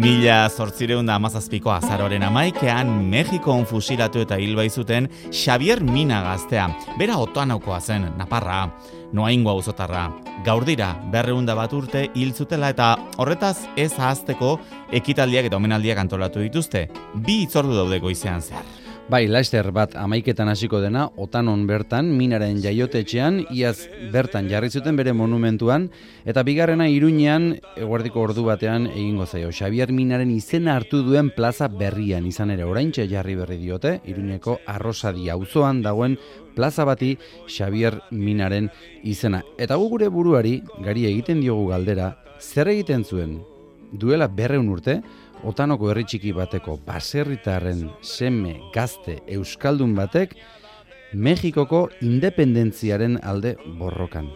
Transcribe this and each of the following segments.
1817ko azaroaren 11ean Mexikon fusilatu eta hil zuten Xavier Mina gaztea. Bera Otanaukoa zen, Naparra, Noaingo auzotarra. Gaur dira 201 urte hil zutela eta horretaz ez ahazteko ekitaldiak eta omenaldiak antolatu dituzte. 2 hitzordu daude goizean zehar. Bai, laster bat 11etan hasiko dena, Otanon bertan, Minaren jaiotetxean, iaz bertan jarri zuten bere monumentuan, eta bigarrena Iruñean, eguerdiko ordu batean egingo zaio. Xavier Minaren izena hartu duen plaza berrian, izan ere oraintxe jarri berri diote, Iruñeko Arrosadi auzoan dagoen plaza bati Xavier Minaren izena. Eta gure buruari, gari egiten diogu galdera, zer egiten zuen? Duela 200 urte, Otanoko herri txiki bateko baserritarren seme gazte euskaldun batek Mexikoko independentziaren alde borrokan.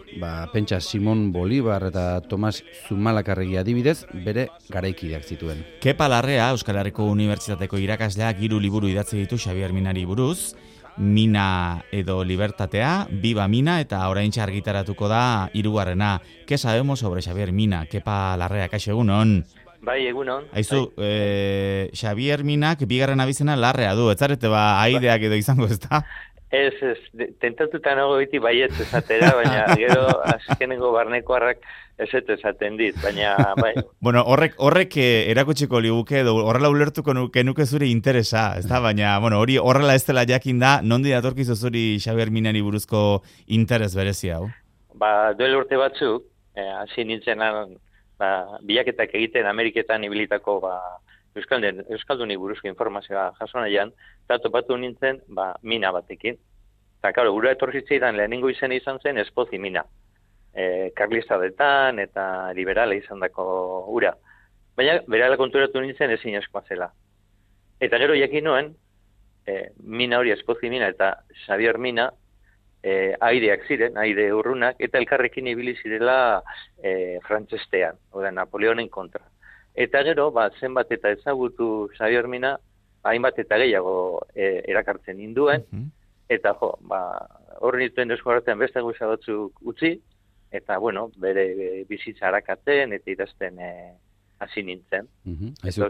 Pentsa Simon Bolivar eta Tomas Zumalakarregi adibidez bere garaikideak zituen. Kepa Larrea, Euskal Herriko Unibertsitateko irakasleak 3 liburu idatzi ditu Xavier Minari buruz. Mina edo Libertatea, Viva Mina eta oraintxe argitaratuko da 3. ¿Qué sabemos sobre Xavier Mina? Kepa Larrea, kaixo egunon. Bai, egunon. Aizu, Xavier Minak bigarren abizena Larrea du, ez zarete aideak edo izango ez da? Ez, tentatuta nago beti baietz esatera, baina gero azkenengo barnekoarrak ez esaten dit, baina bai. Bueno, horrek erakutsiko liguke edo horrela ulertuko nuke zure interesa, ez da? Baina, bueno, hori horrela ez dela jakin da, nondi datorkizu zuri Xavier Minari buruzko interes berezia, hau? Duela urte batzuk, hasi nintzenan, bilaketak egiten Ameriketan ibilitako Euskalduni buruzko informazioa jaso nahian, eta topatu nintzen mina batekin. Eta, karo, gura etorritzeidan lehenengo izena izan zen Espozi Mina. Karlistadetan eta liberala izan dako ura. Baina, berala konturatu nintzen ezin askoa zela. Eta gero jakin nuen, mina hori Espozi Mina eta Xavier Mina, aideak ziren, aide urrunak, eta elkarrekin ibili zirela frantsestean, oda Napoleonen kontra. Eta gero, zenbat eta ezagutu Xavier Mina, hainbat eta gehiago erakartzen induen, eta hor nituen eskuartean beste gauza batzuk utzi, eta, bueno, bere bizitza harakatzen eta idazten hasi nintzen. Eta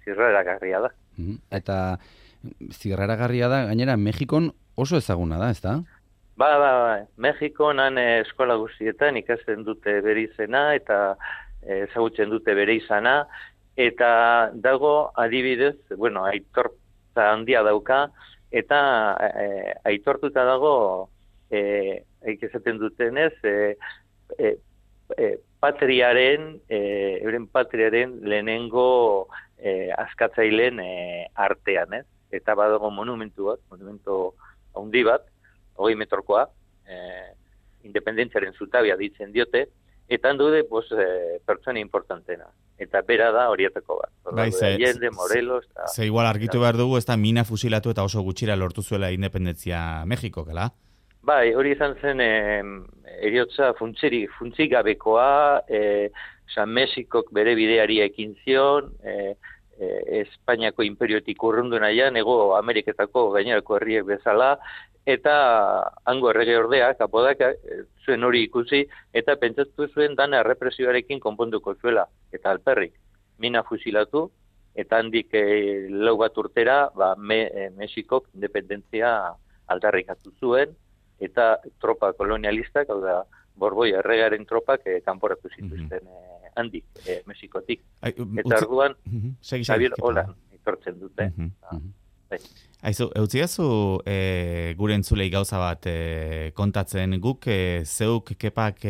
zirraragarria da. Eta zirraragarria da, gainera, Mexikon oso ezaguna da, ez da? Mexikon eskola guztietan ikasten dute bere izena eta ezagutzen dute bere izana, eta dago adibidez, aitortza handia dauka, eta aitortuta dago, esaten dutenez, euren patriaren lehenengo askatzaileen artean, ez? Eta badago monumentu handi bat, 20 metrokoa, independentziaren zutabia ditzen diote, eta handude pertsona importantena. Eta bera da horietako bat. Allende, Morelos... Ze igual argitu behar dugu, ez da Mina fusilatu eta oso gutxira lortu zuela independentzia Mexiko, kala? Bai, hori izan zen eriotza funtzik gabekoa, Mexikok bere bideari ekin zion, Espainiako imperiotik urrundu nahian, Hego Ameriketako gainerako herriek bezala, eta hango errege ordeak, apodak, zuen hori ikusi, eta pentsatu zuen dana errepresioarekin konponduko zuela, eta alperrik. Mina fusilatu, eta handik 4 bat urtera, Mexikok independentzia aldarrikatu zuen, eta tropa kolonialistak, hau da, Borboi erregaren tropak kanporatu zituzten handik, Mexikotik. Eta orduan, Xavier Olan etortzen dute. Aizu, eutziazu gure entzulei gauza bat kontatzen guk, zeuk Kepak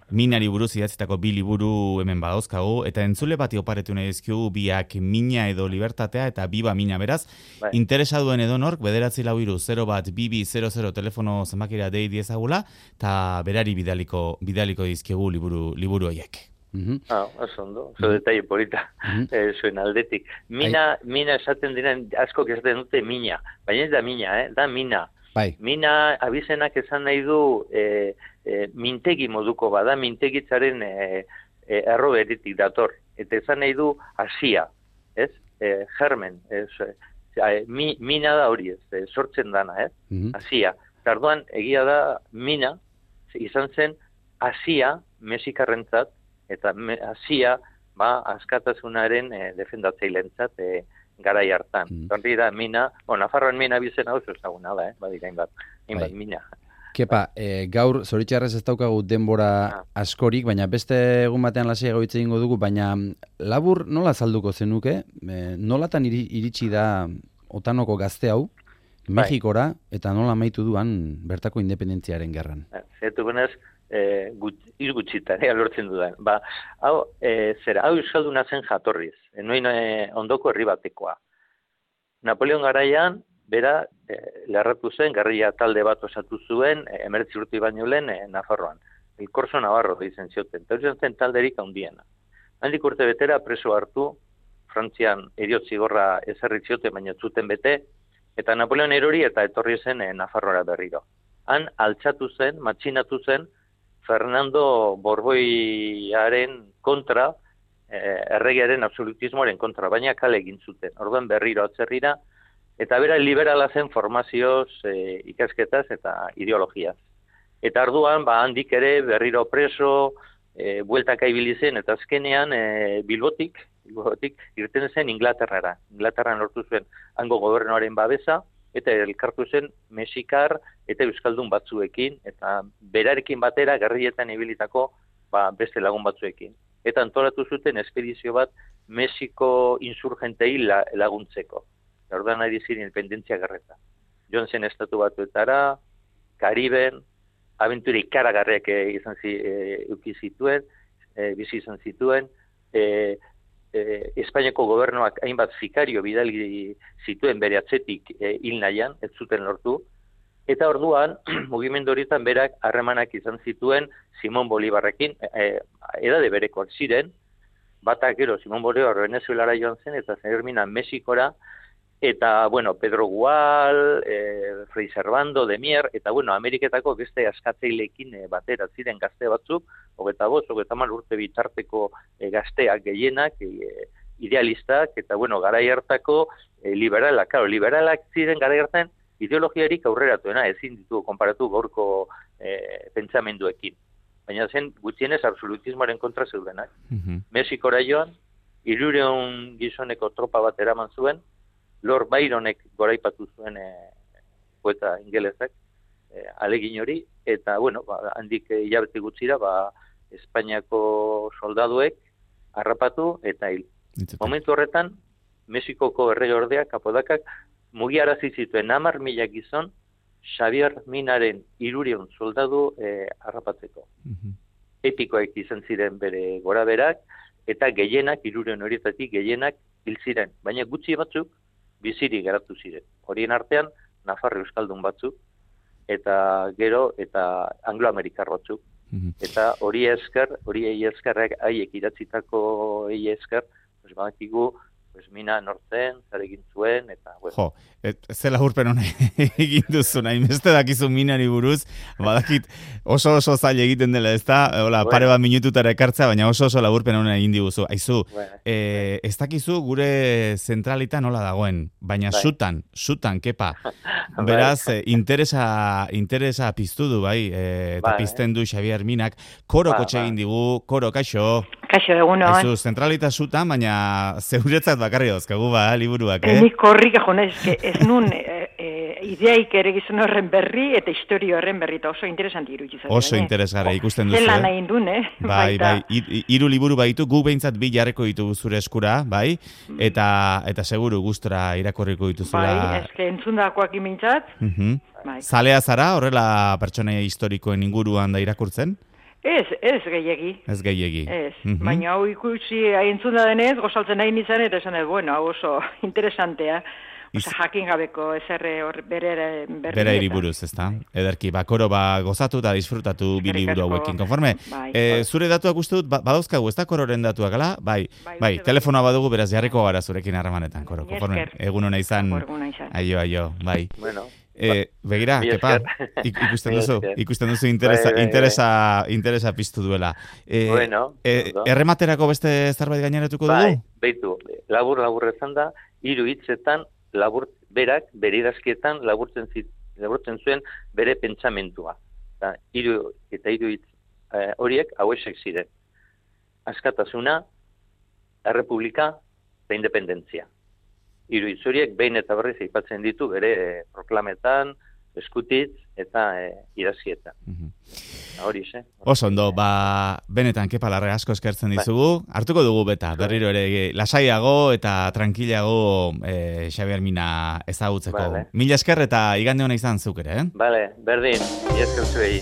Minari buruz idatzitako 2 liburu hemen badauzkagu, eta entzule bati oparetu nahi dizkigu biak Mina edo Libertatea eta Viva Mina, beraz. Interesa duen edonork, 944-2200 telefono zenbakira dei diezagula, eta berari bidaliko dizkigu liburu horiek. Oso ondo, oso detalle polita zuen aldetik. Mina esaten diren, askok esaten dute Mina, baina ez da Mina, da Mina. Mina abizenak esan nahi du mintegi moduko bada, mintegitzaren erroberitik dator. Eta esan nahi du hasia, ez? Germen, mina da hori ez, sortzen dana, ez? Hasia. Tarduan, egia da Mina izan zen hasia mexikarrentzat, eta hasia askatasunaren defendatzaileentzat garai hartan. Hori da mina, Nafarroan mina bizena oso ezaguna da, badira hainbat mina. Kepa, gaur zoritxarrez ez daukagu denbora askorik, baina beste egun batean lasaiago hitz egingo dugu, baina labur nola azalduko zenuke? Nolatan iritsi da Otanoko gazte hau, Mexikora, eta nola amaitu duan bertako independentziaren gerran? Zertu benez, izgutxitan, lortzen dudan. Hau euskalduna zen jatorriz, noin ondoko herri batekoa. Napoleon garaian, bera, lerratu zen, gerrilla talde bat osatu zuen, 19 urte baino lehen Nafarroan. El Corso Navarro dizen zioten, eta hori zen talderik handiena. Handik urte betera preso hartu, Frantzian heriotzigorra ezarri zioten, baina zuten bete, eta Napoleon erori eta etorri zen Nafarroara berriro. Han altxatu zen, matxinatu zen, Fernando Borboiaren kontra, erregearen absolutismoaren kontra, baina kale egin zuten. Orduan berriro atzerrira, eta bera liberala zen formazioz, ikasketaz eta ideologiaz. Eta orduan, handik ere berriro preso, bueltaka ibili zen, eta azkenean Bilbotik irten zen Inglaterrara. Inglaterran lortu zuen hango gobernuaren babesa, eta elkartu zen mexikar eta euskaldun batzuekin, eta berarekin batera gerrilletan ibilitako beste lagun batzuekin. Eta antolatu zuten espedizio bat Mexiko insurgentei laguntzeko. Orduan ari ziren independentzia gerreta. Joan zen estatu batuetara, Kariben, abentura ikaragarriak eduki zituen, bizi izan zituen, Espainiako gobernuak hainbat sikario bidali zituen bere atzetik hil nahian, ez zuten lortu, eta orduan, mugimendu horietan berak harremanak izan zituen Simón Bolívarrekin, edade berekoak ziren, batak gero Simón Bolívar Venezuelara joan zen, eta zermina Mexikora, eta, Pedro Gual, Fray Servando, Demier, eta, Ameriketako beste askatzaileekin batera ziren gazte batzuk, 25-30 urte bitarteko gazteak gehienak, idealistak, eta, garai hartako liberalak. Liberalak ziren garai hartan ideologiarik aurreratuena, ezin ditu konparatu gaurko pentsamenduekin. Baina zen gutxienez absolutismoaren kontra zeudenak. Mexikora joan, 300 gizoneko tropa bat eraman zuen, Lord Byronek goraipatu zuen poeta ingelezak, alegin hori, eta, handik hilabete gutxira, Espainiako soldaduek harrapatu eta hil. Momentu horretan, Mexikoko erregeordeak, Apodakak, mugiarazi zituen 10.000 gizon, Xavier Minaren 300 soldadu harrapatzeko. Epikoek izan ziren bere goraberak, eta gehienak, 300 horietatik gehienak hil ziren, baina gutxi batzuk, biziri geratu ziren. Horien artean, Nafarro euskaldun batzuk, eta gero, eta angloamerikar batzuk. Eta hori eskerrak haiek iratzitako esker, badakigu, mina nortzen, zer egin zuen, eta... Jo, zela urpen hona egin duzu, nahi beste dakizu minari buruz, badakit oso zaila egiten dela, ez da, pare bat minututara ekartza, baina oso laburpen hona egin diguzu. Aizu, ez dakizu gure zentralita nola dagoen, baina zutan, kepa. Beraz, interesa piztu du, bai, eta pizten du Xavier Minak, koro kotxe egin digu, koro, kaixo. Kaixo, eguno. Aizu, zentralita zutan, baina zeuretzat bakarri dauzkagu, liburuak, Nik korrik egon ez nun ideaik ere gizon horren berri eta historio horren berri, eta oso interesanti iruditzen. Oso interesgarri ikusten duzu. Zela nahi duen, Bai, 3 liburu baitu, gu behintzat 2 jarreko ditugu zure eskura, bai, eta seguru gustora irakorriko dituzula. Bai, eske entzundakoak imintzat. Zalea zara, horrela pertsonei historikoen inguruan da irakurtzen? Ez gehiegi. Ez gehiegi. Ez, baina hau ikusi entzunda denez, gozaltzen nahi nizan, eta esan hau oso interesantea. Osa, jakin gabeko ezerre bere iriburuz, ez da? Ederki, koro gozatu eta disfrutatu bi liburu hauekin. Konforme, zure datuak uste dut, badauzkagu, ez da kororen datuak, ala? Bai, telefonoa badugu, beraz jarriko gara zurekin harremanetan, koro. Konforme, egun hona izan. Aio, bai. Bueno. Begira, kepa, ikusten duzu interesa piztu duela. Errematerako beste zerbait gaineratuko dugu? Beitu, labur ezan da, 3 hitzetan, berak, bere idazkietan, laburtzen zuen bere pentsamentua. 3 hitz horiek hauesek ziren. Askatasuna, errepublika eta independentzia. Hiru hitz horiek behin eta berriz aipatzen ditu bere proklametan, eskutitz eta idazkietan. Hori, Oso ondo, benetan Kepa Larrea asko eskertzen dizugu. Hartuko dugu beta, berriro ere lasaiago eta tranquilago Xabier Mina ezagutzeko. Mila esker eta igande hona izan zuk ere, Bale, berdin, mila esker zuei.